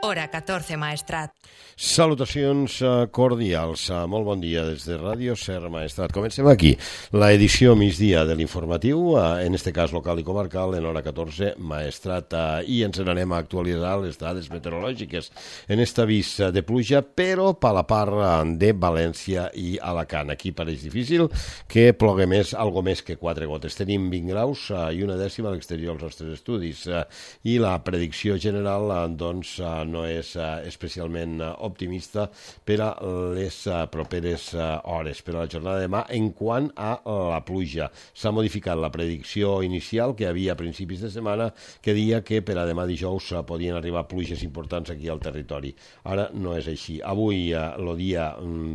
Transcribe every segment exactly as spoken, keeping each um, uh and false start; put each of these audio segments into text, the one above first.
Hora catorze, Maestrat. Salutacions cordials. Molt bon dia des de Ràdio Ser Maestrat. Comencem aquí l'edició migdia de l'informatiu, en este cas local i comarcal, en hora catorze, Maestrat. I ens n'anem a actualitzar les dades meteorològiques en este avís de pluja, però per la part de València i Alacant. Aquí pareix difícil que plogui més, algo més que quatre gotes. Tenim vint graus i una dècima a l'exterior dels nostres estudis. I la predicció general, doncs, no és especialment optimista per a les properes hores, per a la jornada de demà. En quant a la pluja, s'ha modificat la predicció inicial que hi havia a principis de setmana, que deia que per a demà dijous podien arribar pluges importants aquí al territori. Ara no és així. Avui el dia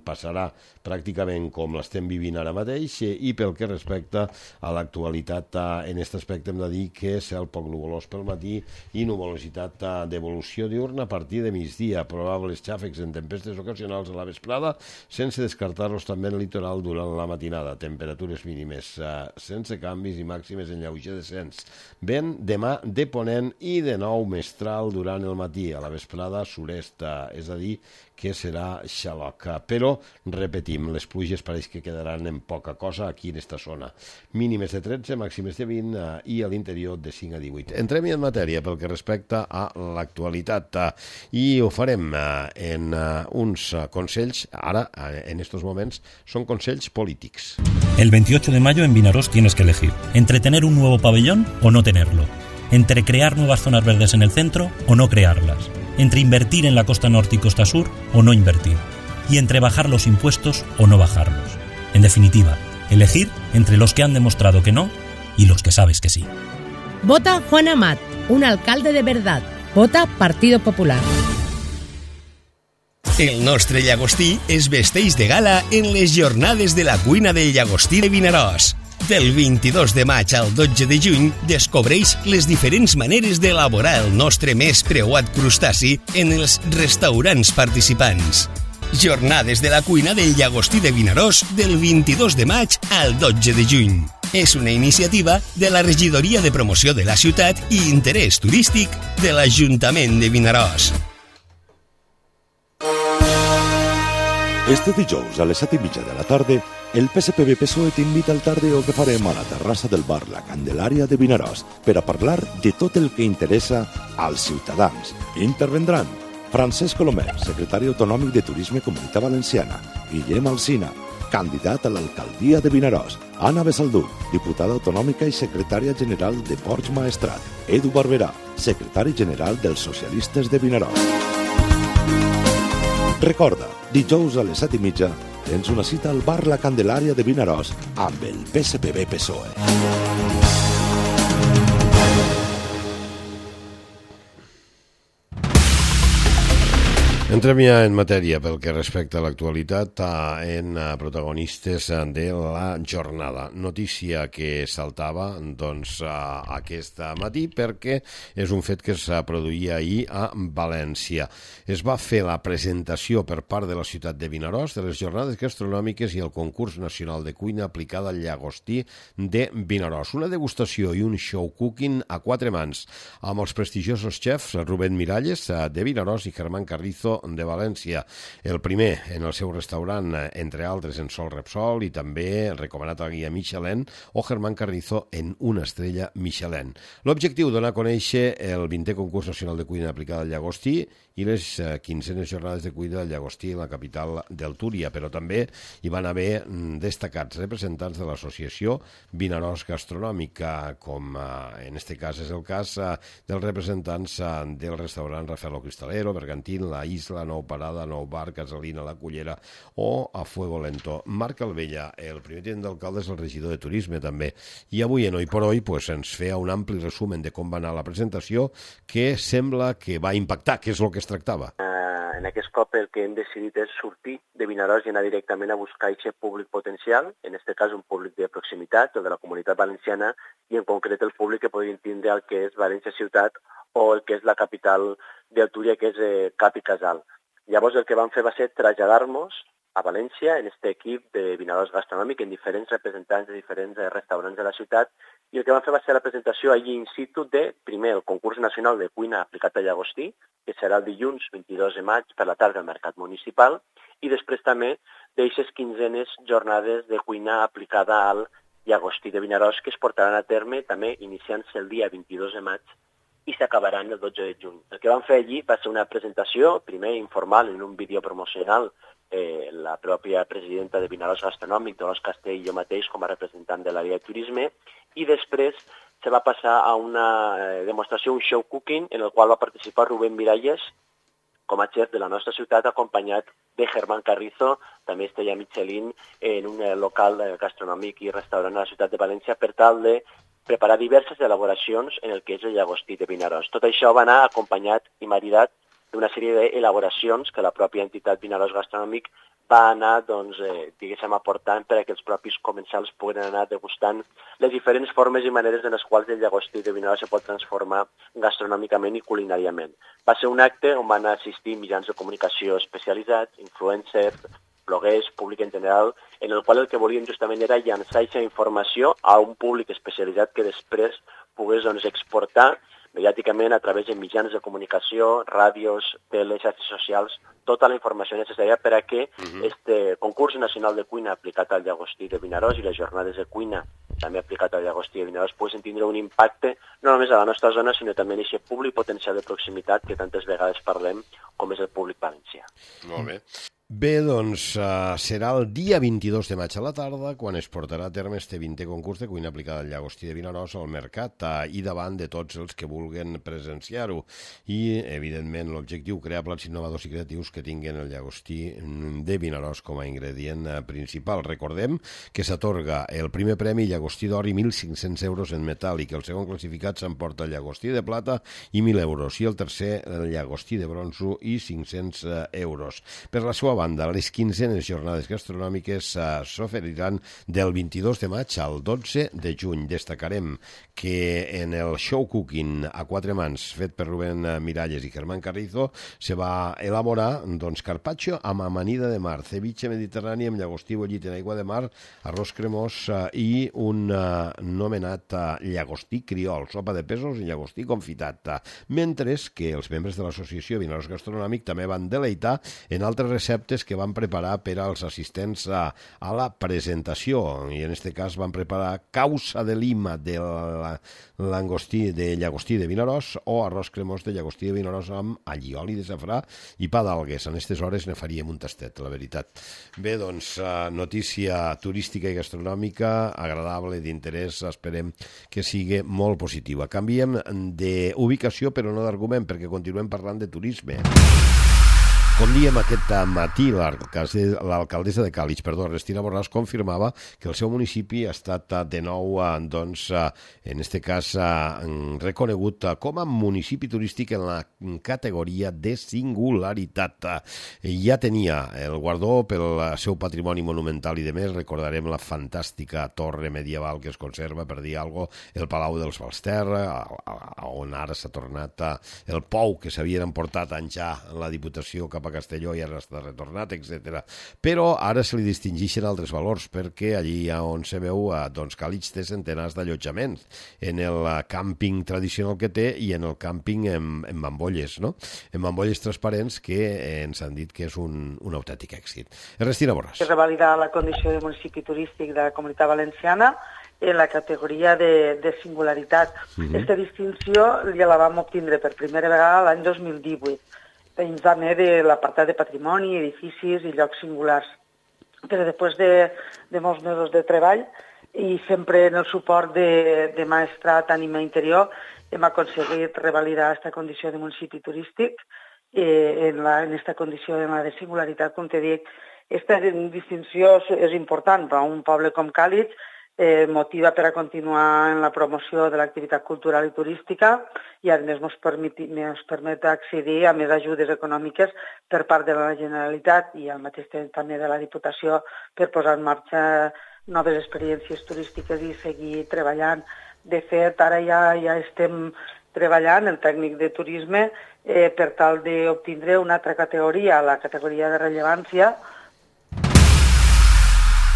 passarà pràcticament com l'estem vivint ara mateix, i pel que respecta a l'actualitat en aquest aspecte hem de dir que cel poc nuvolós pel matí i nuvolositat d'evolució diurna a partir de migdia, probables xàfecs en tempestes ocasionals a la vesprada, sense descartar-los també en el litoral durant la matinada. Temperatures mínimes eh, sense canvis i màximes en lleuger descens. Vent demà de ponent i de nou mestral durant el matí. A la vesprada sud-est, eh, és a dir, que serà xaloc. Però, repetim, les pluges pareix que quedaran en poca cosa aquí en esta zona. Mínimes de tretze, màximes de vint eh, i a l'interior de cinc a divuit. Entrem en matèria pel que respecta a l'actualitat. Eh, i ho farem eh, en eh, uns consells, ara, eh, en estos moments, son consells polítics. El veintiocho de mayo en Vinaròs tienes que elegir entre tener un nuevo pabellón o no tenerlo, entre crear nuevas zonas verdes en el centro o no crearlas, entre invertir en la costa norte y costa sur o no invertir, y entre bajar los impuestos o no bajarlos. En definitiva, elegir entre los que han demostrado que no y los que sabes que sí. Vota Juan Amat, un alcalde de verdad. Vota Partido Popular. El nostre llagostí es vesteix de gala en les jornades de la cuina del llagostí de Vinaròs. Del vint-i-dos de maig al dotze de juny descobreix les diferents maneres d'elaborar el nostre més preuat crustaci en els restaurants participants. Jornades de la cuina del llagostí de Vinaròs del vint-i-dos de maig al dotze de juny. És una iniciativa de la Regidoria de Promoció de la Ciutat i Interès Turístic de l'Ajuntament de Vinaròs. Este dijous a les set i mitja de la tarda, el P S P B P S O E t'invita al tardeo que farem a la terrassa del bar La Candelària de Vinaròs per a parlar de tot el que interessa als ciutadans. Intervendran Francesc Colomer, secretari autonòmic de Turisme Comunitat Valenciana, Guillem Alsina, candidat a l'alcaldia de Vinaròs, Anna Besaldú, diputada autonòmica i secretària general de Ports Maestrat, Edu Barberà, secretari general dels Socialistes de Vinaròs. Recorda, dijous a les set i mitja tens una cita al bar La Candelària de Vinaròs amb el P S P B P S O E. Entrem ja en matèria pel que respecta a l'actualitat, en protagonistes de la jornada. Notícia que saltava doncs, aquest matí perquè és un fet que es produïa ahir a València. Es va fer la presentació per part de la ciutat de Vinaròs de les jornades gastronòmiques i el concurs nacional de cuina aplicada al llagostí de Vinaròs. Una degustació i un show cooking a quatre mans amb els prestigiosos xefs Rubén Miralles de Vinaròs i Germán Carrizo de València. El primer en el seu restaurant, entre altres, en Sol Repsol, i també recomanat a guia Michelin, o Germán Carrizo en una estrella Michelin. L'objectiu, donar a conèixer el vintè concurs nacional de cuina aplicada al llagostí i les quinzenes jornades de cuina del llagostí en la capital del Túria, però també hi van haver destacats representants de l'associació Vinaròs Gastronòmica, com en este cas és el cas dels representants del restaurant Rafael Cristalero, Bergantín, La Isla, Nou Parada, Nou Bar, Casalina, La Cullera o a Fuego Lento. Marc Alvella, el primer tinent d'alcalde, és el regidor de Turisme també, i avui en Hoy por Hoy pues, ens feia un ampli resumen de com va anar la presentació, que sembla que va impactar, que és el que es tractava. Uh, en aquest cop el que hem decidit és sortir de Vinaròs i anar directament a buscar aquest públic potencial, en aquest cas un públic de proximitat o de la comunitat valenciana, i en concret el públic que podrien tindre el que és València ciutat o el que és la capital del Túria, que és eh, Cap i Casal. Llavors el que vam fer va ser traslladar-nos a València, en aquest equip de Vinaròs Gastronòmic, en diferents representants de diferents restaurants de la ciutat, i el que vam fer va ser la presentació allí in situ de, primer, el concurs nacional de cuina aplicat al llagostí, que serà el dilluns vint-i-dos de maig per la tarda al Mercat Municipal, i després també d'eixes quinzenes jornades de cuina aplicada al llagostí de Vinaròs, que es portaran a terme també iniciant-se el dia vint-i-dos de maig i s'acabaran el dotze de juny. El que vam fer allí va ser una presentació, primer informal en un vídeo promocional, eh, la pròpia presidenta de Vinaròs Gastronòmic, Dolors Castell, i jo mateix com a representant de l'àrea de turisme, i després se va passar a una eh, demostració, un show cooking, en el qual va participar Rubén Miralles, com a chef de la nostra ciutat, acompanyat de Germán Carrizo, també estrella Michelin, en un local gastronòmic i restaurant a la ciutat de València, per tal de preparar diverses elaboracions en el que és el llagostí de Vinaròs. Tot això va anar acompanyat i maridat d'una sèrie d'elaboracions que la pròpia entitat Vinaròs Gastronòmic va anar, doncs, eh, diguéssim, aportant per a que els propis comensals puguen anar degustant les diferents formes i maneres en les quals el llagostí de Vinaròs se pot transformar gastronòmicament i culinàriament. Va ser un acte on van assistir mitjans de comunicació especialitzats, influencers, bloguers, públic en general, en el qual el que volíem justament era llançar aquesta informació a un públic especialitzat que després pogués, doncs, exportar mediàticament a través de mitjans de comunicació, ràdios, teles, xarxes socials, tota la informació necessària per a que uh-huh. este concurs nacional de cuina aplicat al llagostí de Vinaròs i les jornades de cuina també aplicat al llagostí de Vinaròs poguessin tindre un impacte no només a la nostra zona, sinó també en aquest públic potencial de proximitat que tantes vegades parlem, com és el públic valencià. Molt bé. Bé, doncs uh, serà el dia vint-i-dos de maig a la tarda quan es portarà a terme este vintè concurs de cuina aplicada al llagostí de Vinaròs al mercat uh, i davant de tots els que vulguen presenciar-ho. I, evidentment, l'objectiu, crear plats innovadors i creatius que tinguin el llagostí de Vinaròs com a ingredient uh, principal. Recordem que s'atorga el primer premi llagostí d'or i mil cinc-cents euros en metàl·lic. El segon classificat s'emporta el llagostí de plata i mil euros. I el tercer, el llagostí de bronzo i cinc-cents euros. Per la seva banda, les quinzenes jornades gastronòmiques uh, s'oferiran del vint-i-dos de maig al dotze de juny. Destacarem que en el show cooking a quatre mans fet per Rubén Miralles i Germán Carrizo se va elaborar, doncs, carpaccio amb amanida de mar, ceviche mediterrani amb llagostí bullit en aigua de mar, arròs cremós uh, i un uh, nomenat uh, llagostí criol, sopa de pèsols i llagostí confitat. Uh, mentre que els membres de l'associació Vinaròs Gastronòmic també van deleitar en altres receptes que van preparar per als assistents a, a la presentació, i en aquest cas van preparar causa de lima de langostí de llagostí de Vinaròs o arròs cremós de llagostí de Vinaròs amb allioli de safrà i pa d'algues. En aquestes hores ne faríem un tastet, la veritat. Bé, doncs, notícia turística i gastronòmica agradable, d'interès, esperem que sigui molt positiva. Canviem d'ubicació però no d'argument, perquè continuem parlant de turisme. Com diem aquest matí, l'alcaldessa de Càlig, perdó, Ernestina Borràs, confirmava que el seu municipi ha estat de nou, doncs, en aquest cas, reconegut com a municipi turístic en la categoria de singularitat. Ja tenia el guardó pel seu patrimoni monumental i de més. Recordarem la fantàstica torre medieval que es conserva, per dir alguna cosa, el Palau dels Balsterra, on ara s'ha tornat el pou que s'havien emportat anys ja la Diputació cap a Castelló i ara està retornat, etcètera. Però ara se li distingeixen altres valors, perquè allí on se veu, doncs, Càlig té centenars d'allotjaments en el càmping tradicional que té i en el càmping en, en bambolles, no? En bambolles transparents que ens han dit que és un, un autèntic èxit. Ernestina Borràs. Es revalida la condició de municipi turístic de la Comunitat Valenciana en la categoria de, de singularitat. Uh-huh. Aquesta distinció ja la vam obtindre per primera vegada l'any dos mil divuit. Dins també de l'apartat de patrimoni, edificis i llocs singulars. Però després de, de molts mesos de treball i sempre en el suport de, de Maestrat Ànima Interior hem aconseguit revalidar aquesta condició de municipi turístic eh, en, la, en esta condició de, de singularitat, com te dic. Aquesta distinció és important per a un poble com Càlig, Eh, motiva per a continuar en la promoció de l'activitat cultural i turística i a més ens permet, ens permet accedir a més ajudes econòmiques per part de la Generalitat i al mateix temps també de la Diputació per posar en marxa noves experiències turístiques i seguir treballant. De fet, ara ja, ja estem treballant el tècnic de turisme eh, per tal d'obtindre una altra categoria, la categoria de rellevància,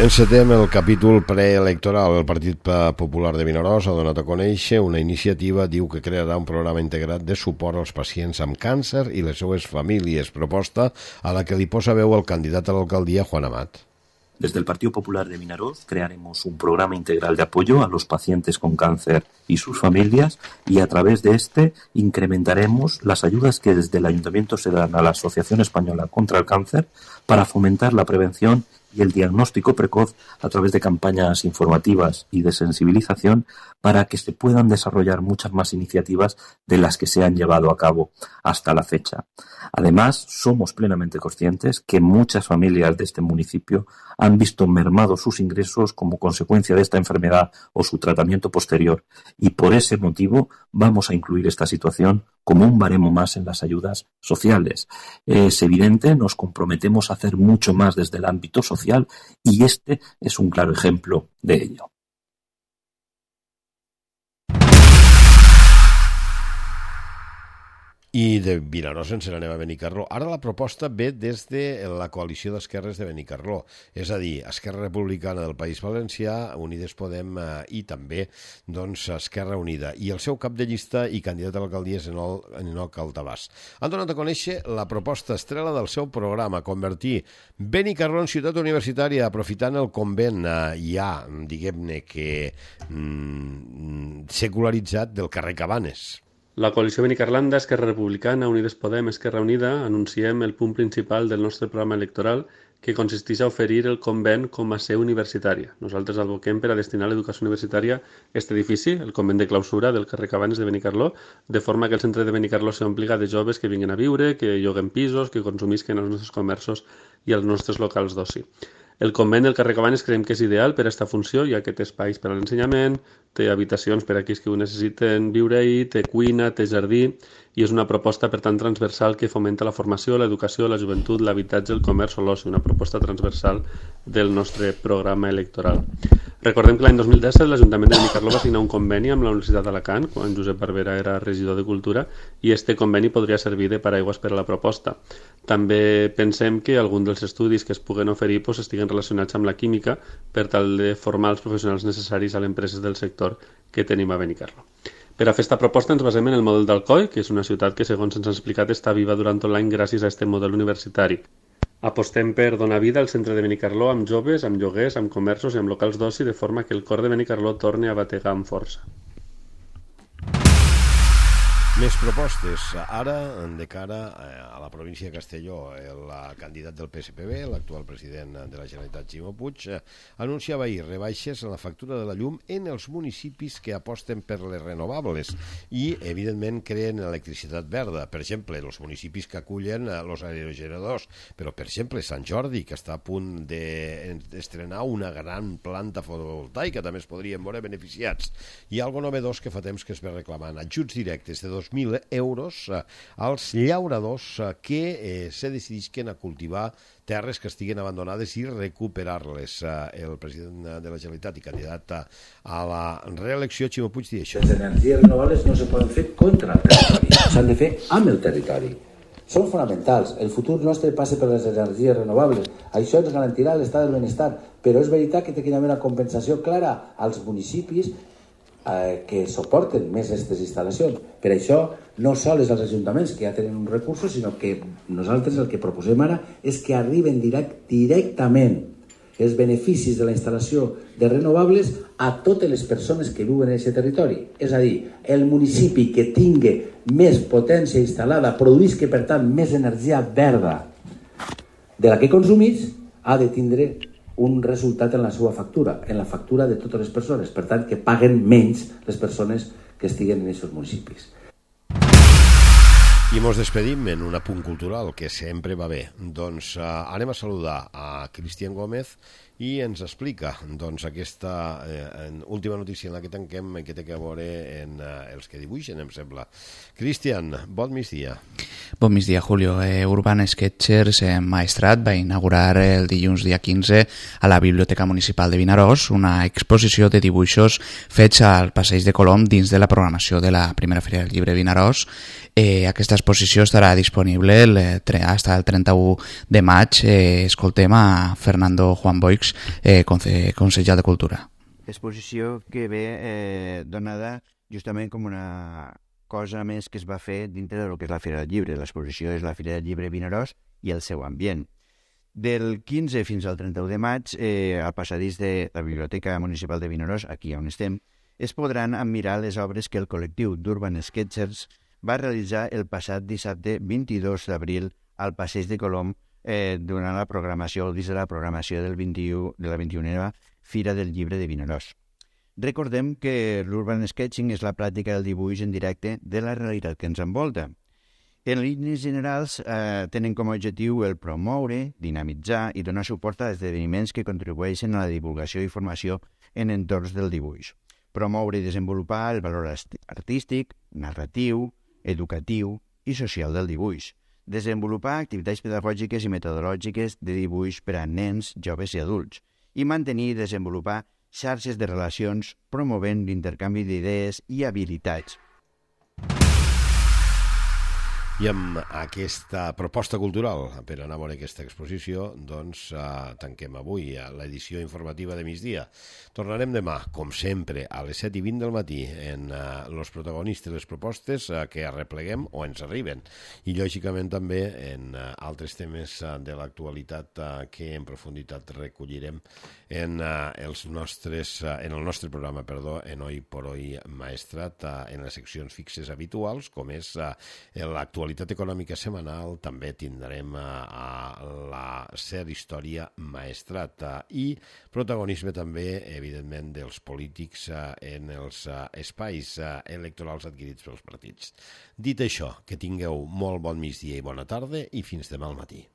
Encetem el capítol preelectoral. El Partit Popular de Vinaròs ha donat a conèixer una iniciativa, diu que crearà un programa integrat de suport als pacients amb càncer i les seues famílies, proposta a la que li posa veu el candidat a l'alcaldia, Juan Amat. Desde el Partido Popular de Vinaroz crearemos un programa integral de apoyo a los pacientes con cáncer y sus familias, y a través de este incrementaremos las ayudas que desde el Ayuntamiento se dan a la Asociación Española contra el Cáncer para fomentar la prevención y el diagnóstico precoz a través de campañas informativas y de sensibilización para que se puedan desarrollar muchas más iniciativas de las que se han llevado a cabo hasta la fecha. Además, somos plenamente conscientes que muchas familias de este municipio han visto mermados sus ingresos como consecuencia de esta enfermedad o su tratamiento posterior, y por ese motivo vamos a incluir esta situación como un baremo más en las ayudas sociales. Es evidente, nos comprometemos a hacer mucho más desde el ámbito social y este es un claro ejemplo de ello. I de Vinaròs ens n'anem a Benicarló. Ara la proposta ve des de la coalició d'esquerres de Benicarló, és a dir, Esquerra Republicana del País Valencià, Unides Podem eh, i també doncs, Esquerra Unida. I el seu cap de llista i candidat a l'alcaldia és Enoc Altabàs. Han donat a conèixer la proposta estrella del seu programa, convertir Benicarló en ciutat universitària, aprofitant el convent eh, ja, diguem-ne que mm, secularitzat del carrer Cabanes. La coalició Benicarlanda, Esquerra Republicana, Unides Podem, Esquerra Unida, anunciem el punt principal del nostre programa electoral, que consisteix a oferir el convent com a seu universitària. Nosaltres advoquem per a destinar l'educació universitària a aquest edifici, el convent de clausura del carrer Cabanes de Benicarló, de forma que el centre de Benicarló s'ompliga de joves que vinguin a viure, que lloguen pisos, que consumisquen els nostres comerços i els nostres locals d'oci. El convent del carrer Cabanes creiem que és ideal per a aquesta funció, ja que té espais per a l'ensenyament, té habitacions per a aquells que ho necessiten viure-hi, té cuina, té jardí, i és una proposta, per tant, transversal que fomenta la formació, l'educació, la joventut, l'habitatge, el comerç o l'oci, una proposta transversal del nostre programa electoral. Recordem que l'any dos mil disset l'Ajuntament de Benicarló va signar un conveni amb la Universitat d'Alacant, quan Josep Barbera era regidor de Cultura, i este conveni podria servir de paraigües per a la proposta. També pensem que algun dels estudis que es puguen oferir pues, estiguen relacionats amb la química per tal de formar els professionals necessaris a les empreses del sector que tenim a Benicarló. Per a fer aquesta proposta ens basem en el model d'Alcoi, que és una ciutat que, segons ens ha explicat, està viva durant tot l'any gràcies a aquest model universitari. Apostem per donar vida al centre de Benicarló amb joves, amb lloguers, amb comerços i amb locals d'oci, de forma que el cor de Benicarló torni a bategar amb força. Més propostes. Ara, de cara a la província de Castelló, el candidat del P S P B, l'actual president de la Generalitat, Ximo Puig, anunciava ahir rebaixes en la factura de la llum en els municipis que aposten per les renovables i, evidentment, creen electricitat verda. Per exemple, els municipis que acullen els aerogeneradors, però, per exemple, Sant Jordi, que està a punt d'estrenar una gran planta fotovoltaica, també es podrien veure beneficiats. Hi ha algo novedós que fa temps que es ve reclamant, ajuts directes de dos mil euros als llauradors que eh, se decidisquen a cultivar terres que estiguin abandonades i recuperar-les. El president de la Generalitat i candidat a la reelecció, Ximo Puig, diu això. Les energies renovables no se poden fer contra el territori, s'han de fer amb el territori. Són fonamentals. El futur nostre passa per les energies renovables. Això ens garantirà l'estat del benestar, però és veritat que té que haver una compensació clara als municipis que suporten més aquestes instal·lacions. Per això, no sols als ajuntaments que ja tenen uns recursos, sinó que nosaltres el que proposem ara és que arriben direct, directament els beneficis de la instal·lació de renovables a totes les persones que viuen en aquest territori. És a dir, el municipi que tingui més potència instal·lada, produïsca, per tant, més energia verda de la que consumís, ha de tindre un resultat en la seva factura, en la factura de totes les persones. Per tant, que paguen menys les persones que estiguen en aquests municipis. I mos despedim en un apunt cultural que sempre va bé. Doncs uh, anem a saludar a Cristian Gómez i ens explica doncs, aquesta eh, última notícia en la que tanquem que té a veure en eh, els que dibuixen, em sembla. Cristian, bon migdia. Bon migdia, Julio. Eh, Urban Sketchers eh, Maestrat va inaugurar el dilluns dia quinze a la Biblioteca Municipal de Vinaròs una exposició de dibuixos fets al Passeig de Colom dins de la programació de la primera Fira del Llibre Vinaròs. Eh, aquesta exposició estarà disponible el, hasta el trenta-u de maig. Eh, escoltem a Fernando Juan Boix, eh, consellera de Cultura. Exposició que ve eh, donada justament com una cosa més que es va fer dintre del que és la Fira del Llibre. L'exposició és la Fira del Llibre Vinaròs i el seu ambient. Del quinze fins al trenta-u de maig, eh, al passadís de la Biblioteca Municipal de Vinaròs, aquí on estem, es podran admirar les obres que el col·lectiu d'Urban Sketchers va realitzar el passat dissabte vint-i-dos d'abril al Passeig de Colom eh, durant la programació, dins de la programació del vint-i-u, de la vint-i-unena Fira del Llibre de Vinaròs. Recordem que l'Urban Sketching és la pràctica del dibuix en directe de la realitat que ens envolta. En línies generals, eh, tenen com a objectiu el promoure, dinamitzar i donar suport a esdeveniments que contribueixen a la divulgació i formació en entorns del dibuix. Promoure i desenvolupar el valor artístic, narratiu, educatiu i social del dibuix. Desenvolupar activitats pedagògiques i metodològiques de dibuix per a nens, joves i adults. I mantenir i desenvolupar xarxes de relacions promovent l'intercanvi d'idees i habilitats. I amb aquesta proposta cultural per anar a veure aquesta exposició, doncs eh, tanquem avui l'edició informativa de migdia. Tornarem demà, com sempre, a les set i vint del matí en els eh, protagonistes, les propostes eh, que arrepleguem o ens arriben. I, lògicament, també en eh, altres temes eh, de l'actualitat eh, que en profunditat recollirem en, eh, els nostres, eh, en el nostre programa, perdó, en Hoy por Hoy Maestrat, eh, en les seccions fixes habituals, com és eh, l'actualitat econòmica setmanal. També tindrem a, a la Ser Història Maestrat i protagonisme també, evidentment, dels polítics en els espais electorals adquirits pels partits. Dit això, que tingueu molt bon migdia i bona tarda i fins demà al matí.